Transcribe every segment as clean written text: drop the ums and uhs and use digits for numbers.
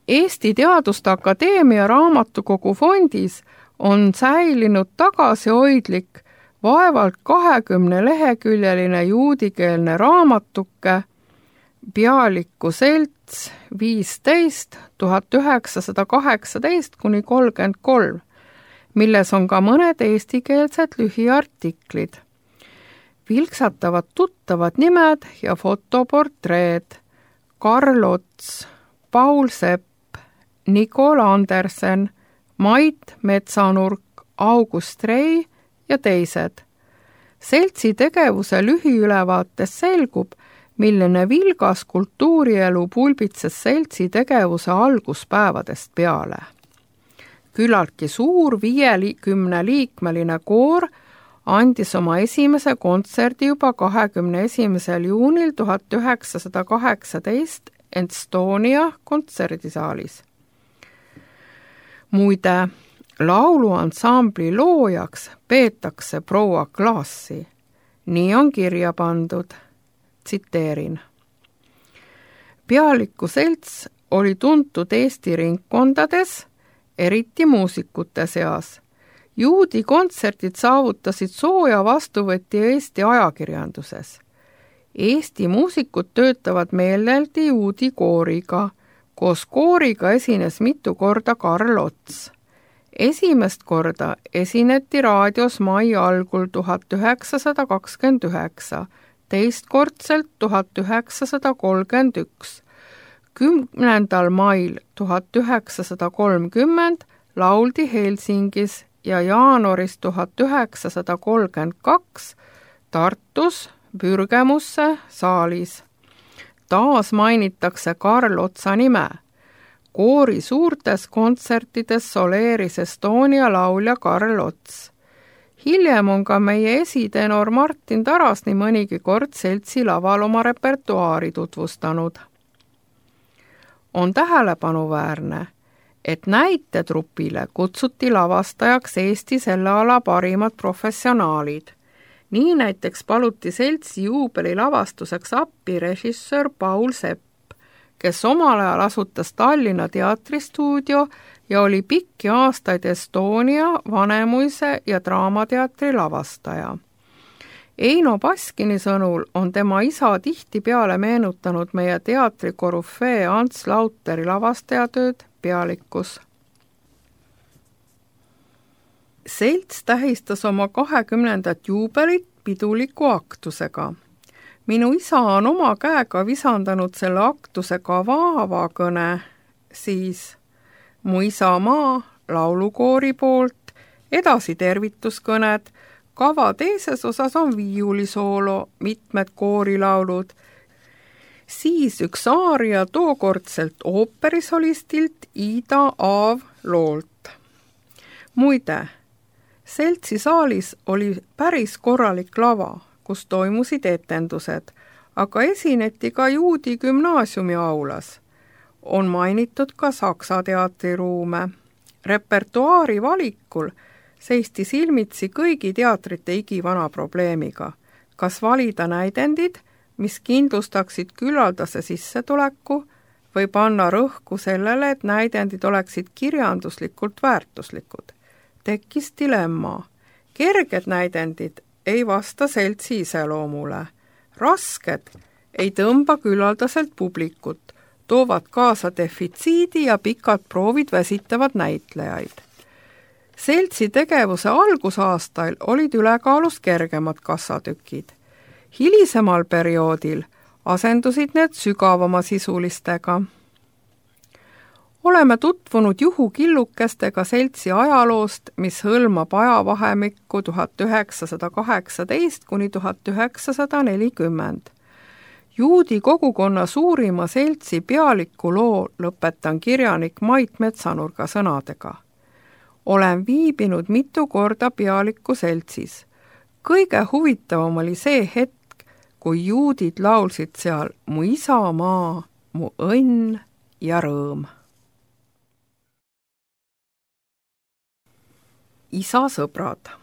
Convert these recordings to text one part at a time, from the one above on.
Eesti Teaduste Akadeemia raamatukogu fondis on säilinud tagasihoidlik vaevalt 20-leheküljeline juudikeelne raamatuke Pealiku selts 15 1918–33, milles on ka mõned eestikeelsed lühiartiklid. Vilksatavad tuttavad nimed ja fotoportreed: Karl Ots, Paul Sepp, Nicol Andersen, Mait Metsanurk, August Rei ja teised. Seltsi tegevuse lühiülevaates selgub, milline vilgas kultuurielu pulbitses seltsi tegevuse alguspäevadest peale. Küllaltki suur 50-liikmeline koor andis oma esimese kontserdi juba 21. juunil 1918 Estonia kontserdisaalis. Muide, lauluansambli loojaks peetakse proua Klaasi. Nii on kirja pandud. Tsiteerin. Pealiku selts oli tuntud Eesti ringkondades, eriti muusikute seas. Juudi kontserdid saavutasid sooja vastuvõtti Eesti ajakirjanduses. Eesti muusikud töötavad meeleldi juudi kooriga. Koos kooriga esines mitu korda Karl Ots. Esimest korda esineti raadios mai algul 1929, teistkordselt 1931. 10. mail 1930 lauldi Helsingis ja jaanuaris 1932 Tartus Pürgemusse saalis. Taas mainitakse Karl Otsa nime. Koori suurtes kontsertides soleeris Estonia laulja Karl Ots. Hiljem on ka meie esitenor Martin Taras nii mõnigi kord seltsi laval oma repertuaari tutvustanud. On tähelepanuväärne, et näitetrupile kutsuti lavastajaks Eesti selle ala parimad professionaalid. Nii näiteks paluti seltsi juubeli lavastuseks appi režissöör Paul Sepp, kes omal ajal asutas Tallinna teatristuudio ja oli pikki aastaid Estonia, Vanemuise ja Draamateatri lavastaja. Eino Baskini sõnul on tema isa tihtipeale meenutanud meie teatri korüfee Ants Lauteri lavastajatööd Pealikus. Selts tähistas oma 20. juubelit piduliku aktusega. Minu isa on oma käega visandanud selle aktuse kava avakõne, siis Mu isamaa laulukoori poolt, edasi tervituskõned, kava teises osas on viiulisoolo, mitmed koorilaulud, siis üks aaria tookordselt ooperisolistilt Ida Aav loolt. Muide, seltsi saalis oli päris korralik lava, kus toimusid etendused, aga esineti ka juudi gümnaasiumi aulas. On mainitud ka Saksa teatriruume. Repertuaari valikul seisti silmitsi kõigi teatrite igivana probleemiga. Kas valida näidendid, mis kindlustaksid küllaldase sissetuleku, või panna rõhku sellele, et näidendid oleksid kirjanduslikult väärtuslikud. Tekkis dilemma. Kerged näidendid ei vasta seltsi iseloomule. Rasked ei tõmba küllaldaselt publikut, toovad kaasa defitsiidi ja pikad proovid väsitavad näitlejaid. Seltsi tegevuse algusaastail olid ülekaalus kergemad kassatükid. Hilisemal perioodil asendusid need sügavama sisulistega. Oleme juhukillukestega seltsi ajaloost, mis hõlmab ajavahemikku 1918–1940. Juudi kogukonna suurima seltsi Pealiku loo lõpetan kirjanik Mait Metsanurga sõnadega. Olen viibinud mitu korda Pealiku seltsis. Kõige huvitavam oli see hetk, kui juudid laulsid seal Mu isamaa, mu õnn ja rõõm. Isa sõbrad.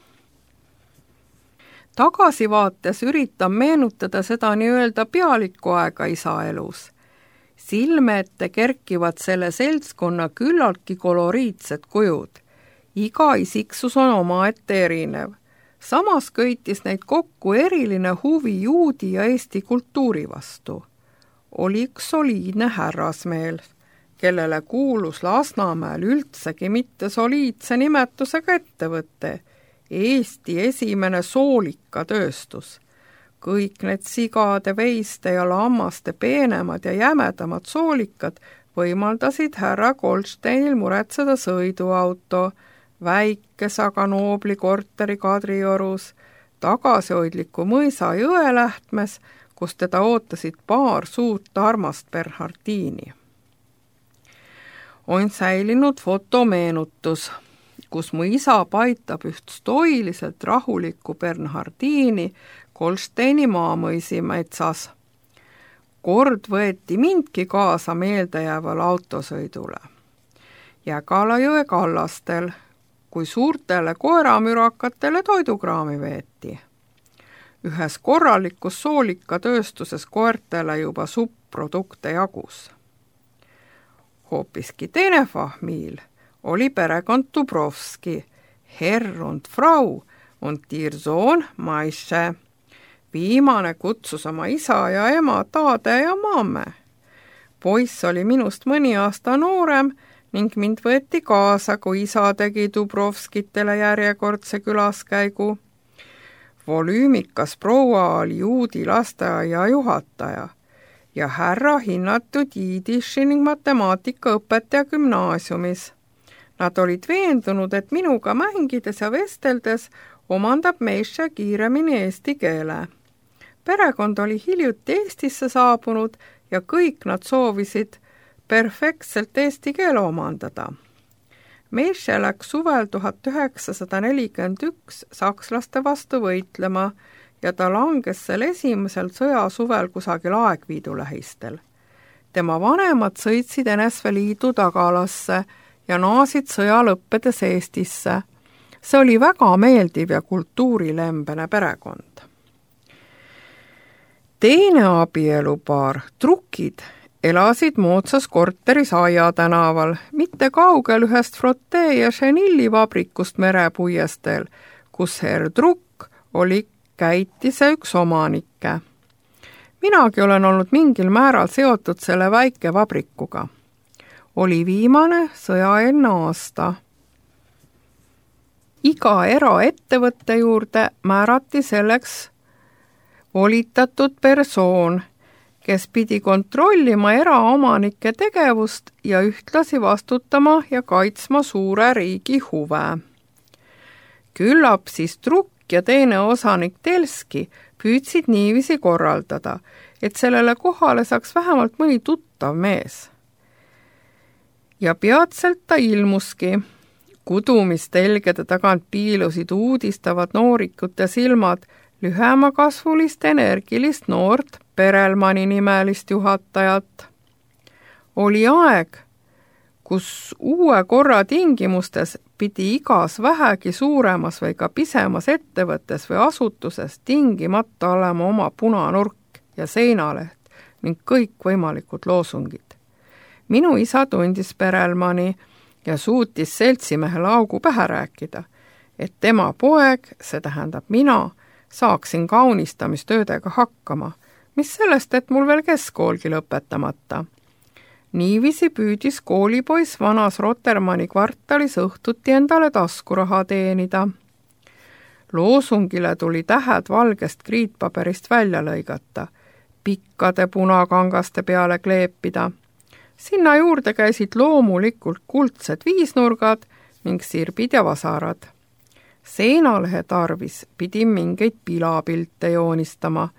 Tagasivaates üritan meenutada seda nii-öelda Pealiku aega isa elus. silme ette kerkivad selle seltskonna küllaltki koloriitsed kujud. Iga isiksus on omaette erinev. Samas köitis neid kokku eriline huvi juudi ja eesti kultuuri vastu. Oli üks soliidne härrasmeel, kellele kuulus Lasnamäel üldsegi mitte soliidse nimetusega ettevõte, Eesti esimene soolikatööstus. Kõik need sigade, veiste ja lammaste peenemad ja jämedamad soolikad võimaldasid härra Goldsteinil muretseda sõiduauto, väikes aga noobli korteri Kadriorus, tagasihoidliku mõisa Jõelähtmes, kus teda ootasid paar suurt armast Bernhardini. On säilinud fotomeenutus, kus mu isa paitab üht stoiliselt rahulikku Bernhardini Goldsteini maamõisi metsas. Kord võeti mindki kaasa meeldejääval autosõidule. Jägalajõe kallastel, kui suurtele koeramürakatele toidukraami veeti. Ühes korralikus soolikatööstuses koertele juba subprodukte jagus. Hoopiski teine fahmiil oli perekond Dubrovski, Herr und Frau und ihr Sohn Maische. Viimane kutsus oma isa ja ema taade ja mamme. Poiss oli minust mõni aasta noorem ning mind võeti kaasa, kui isa tegi Dubrovskitele järjekordse külaskäigu. Volüümikas proua oli juudi lasteaia juhataja ja härra hinnatud jiidiši ning matemaatikaõpetaja gümnaasiumis. Nad olid veendunud, et minuga mängides ja vesteldes omandab Meische kiiremini eesti keele. Perekond oli hiljuti Eestisse saabunud ja kõik nad soovisid perfektselt eesti keele omandada. Meische läks suvel 1941 sakslaste vastu võitlema ja ta langes sel esimesel sõjasuvel kusagil Aegviidu lähistel. Tema vanemad sõitsid NSV Liidu tagalasse ja naasid sõja lõppedes Eestisse. See oli väga meeldiv ja kultuurilembene perekond. Teine abielupaar, Trukid, elasid moodsas korteris Aia tänaval, mitte kaugel ühest Frotte ja Chenilli vabrikust merepuiesteel, kus Herr Trukk oli käitise üks omanikke. Minagi olen olnud mingil määral seotud selle väike vabrikuga. Oli viimane sõjaeelne aasta. Iga eraettevõtte juurde määrati selleks volitatud persoon, kes pidi kontrollima eraomanike tegevust ja ühtlasi vastutama ja kaitsma suure riigi huve. Küllap siis Trukk ja teine osanik Telski püüdsid niiviisi korraldada, et sellele kohale saaks vähemalt mõni tuttav mees. Ja peatselt ta ilmuski. Kudumistelgede tagant piilusid uudistavad noorikute silmad lühemakasvulist energilist noort Perelmani nimelist juhatajat. Oli aeg, kus uue korra tingimustes pidi igas vähegi suuremas või ka pisemas ettevõttes või asutuses tingimata olema oma punanurk ja seinaleht ning kõik võimalikud loosungid. Minu isa tundis Perelmani ja suutis seltsimehele augu pähe rääkida, et tema poeg, see tähendab mina, saaksin kaunistamistöödega hakkama, mis sellest, et mul veel keskkoolgi lõpetamata. Niiviisi püüdis koolipoiss vanas Rotermanni kvartalis õhtuti endale taskuraha teenida. Loosungile tuli tähed valgest kriitpaberist välja lõigata, pikkade punakangaste peale kleepida. Sinna juurde käisid loomulikult kuldsed viisnurgad ning sirbid ja vasarad. Seinalehe tarvis pidi mingeid pilapilte joonistama.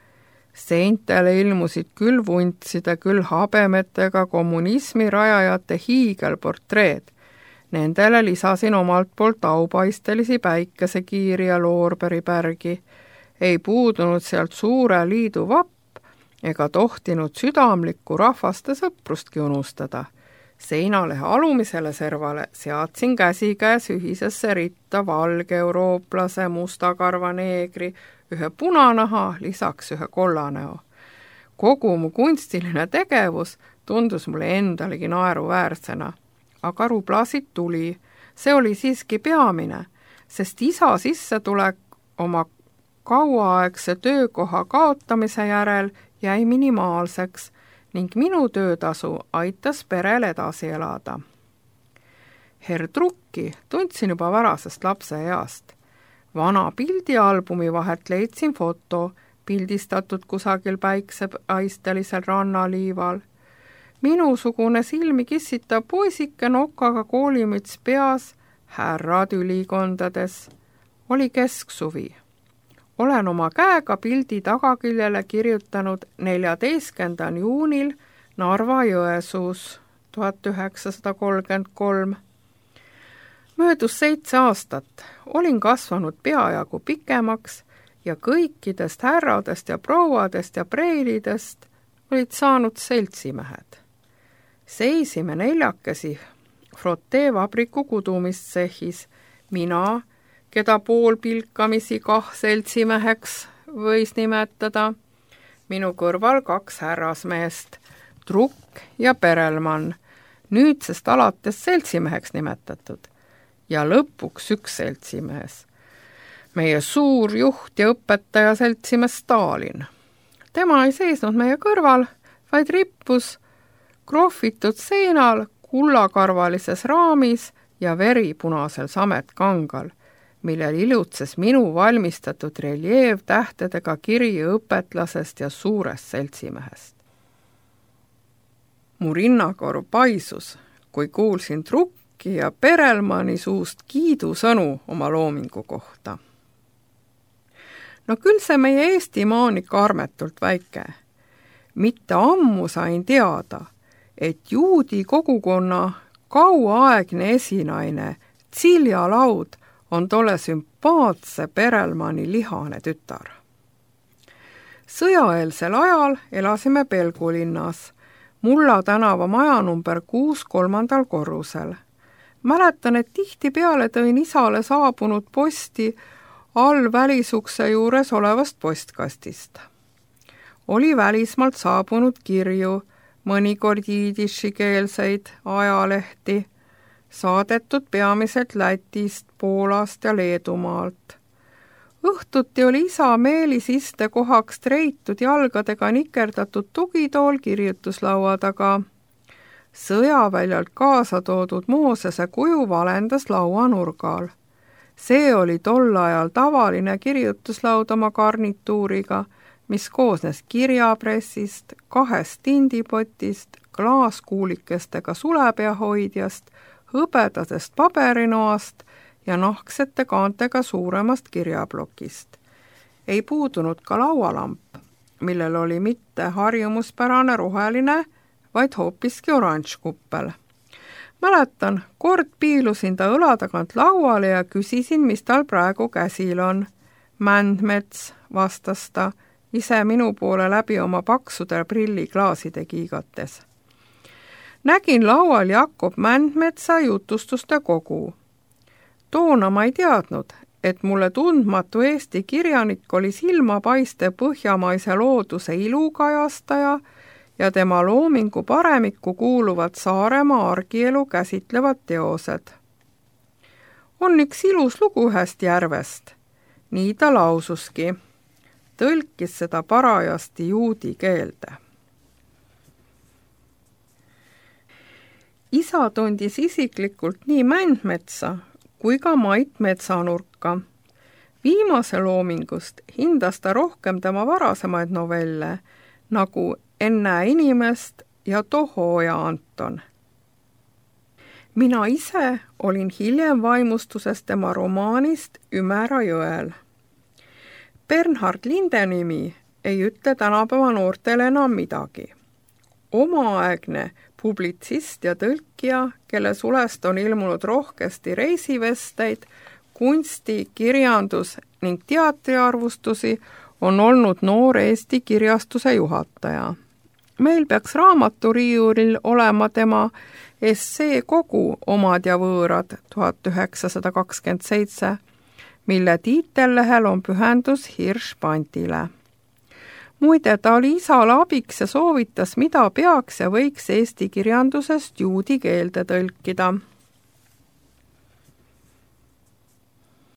Seintele ilmusid küll vuntside, küll habemetega kommunismi rajajate hiigelportreed. Nendele lisasin omalt poolt aupaistelisi päikesekiiri ja loorberipärgi. Ei puudunud sealt suure liidu vapp ega tohtinud südamlikku rahvaste sõprustki unustada. Seinalehe alumisele servale seadsin käsikäes ühisesse ritta valge eurooplase, mustakarva neegri, ühe punanaha, lisaks ühe kollanäo. Kogu mu kunstiline tegevus tundus mulle endalegi naeruväärsena. Aga ruplasid tuli, see oli siiski peamine, sest isa sissetulek oma kauaaegse töökoha kaotamise järel jäi minimaalseks ning minu töötasu aitas perel edasi elada. Herdrucki tundsin juba varasest lapseeast. Vana pildialbumi vahelt leidsin foto, pildistatud kusagil päiksepaistelisel rannaliival. Minusugune silmi kissitav poisike nokaga koolimüts peas, härrad ülikondades. Oli kesksuvi. Olen oma käega pildi tagaküljele kirjutanud 14. juunil Narva-Jõesuus 1933. Möödus 7 aastat, olin kasvanud peajagu pikemaks ja kõikidest härradest ja prouadest ja preilidest olid saanud seltsimehed. Seisime 4 frotteevabriku kudumistsehhis, mina, keda poolpilkamisi seltsimeheks võis nimetada, minu kõrval 2 härrasmeest, Trukk ja Perelmann, nüüdsest alates seltsimeheks nimetatud, ja lõpuks 1 seltsimees, meie suur juht ja õpetaja seltsimees Stalin. Tema ei seisnud meie kõrval, vaid rippus krohvitud seinal kullakarvalises raamis ja veripunasel sametkangal, millel ilutses minu valmistatud reljeevtähtedega kiri õpetlasest ja suurest seltsimehest. Mu rinnakorv paisus, kui kuulsin Trukki ja Perelmanni suust kiidusõnu oma loomingu kohta. No küll see meie Eestimaa on ikka armetult väike. Mitte ammu sain teada, et juudi kogukonna kauaaegne esinaine Tsilja Laud on tolle sümpaatse Perelmanni lihane tütar. Sõjaeelsel ajal elasime Pelgulinnas, Mulla tänava maja number 6 3. korrusel. Mäletan, et tihtipeale tõin isale saabunud posti all välisukse juures olevast postkastist. Oli välismaalt saabunud kirju, mõnikord jiidishikeelseid ajalehti, saadetud peamiselt Lätist, Poolast ja Leedumaalt. Õhtuti oli isa Meelis istekohaks treitud jalgadega nikerdatud tugitool kirjutuslaua taga. Sõjaväljalt kaasa toodud Moosese kuju valendas lauanurgal. See oli tol ajal tavaline kirjutuslaud oma garnituuriga, mis koosnes kirjapressist, 2 tindipotist, klaaskuulikestega sulepeahoidjast, hõbedasest paberinoast ja nahksete kaantega suuremast kirjaplokist. Ei puudunud ka laualamp, millel oli mitte harjumuspärane roheline, vaid hoopiski oranž kuppel. Mäletan, kord piilusin ta õla tagant lauale ja küsisin, mis tal praegu käsil on. Mändmets, vastas ta, ise minu poole läbi oma paksude prilliklaaside kiigates. Nägin laual Jakob Mändmetsa jutustuste kogu. Toona ma ei teadnud, et mulle tundmatu Eesti kirjanik oli silmapaiste põhjamaise looduse ilukajastaja ja tema loomingu paremikku kuuluvad Saaremaa argielu käsitlevad teosed. On üks ilus lugu ühest järvest, nii ta laususki. Tõlkis seda parajasti juudi keelde. Isa tundis isiklikult nii Mändmetsa kui ka Mait Metsanurka. Viimase loomingust hindas ta rohkem tema varasemaid novelle, nagu Enne inimest ja Toho ja Anton. Mina ise olin hiljem vaimustuses tema romaanist Ümera jõel. Bernhard Lindenimi ei ütle tänapäeva noortele enam midagi. Omaaegne publitsist ja tõlkija, kelle sulest on ilmunud rohkesti reisivesteid, kunsti, kirjandus ning teatriarvustusi, on olnud noor Eesti kirjastuse juhataja. Meil peaks raamaturiiulil olema tema essee kogu Omad ja võõrad 1927, mille tiitellehel on pühendus Hirschpantile. muide, ta oli isale abiks ja soovitas, mida peaks ja võiks eesti kirjandusest juudi keelde tõlkida.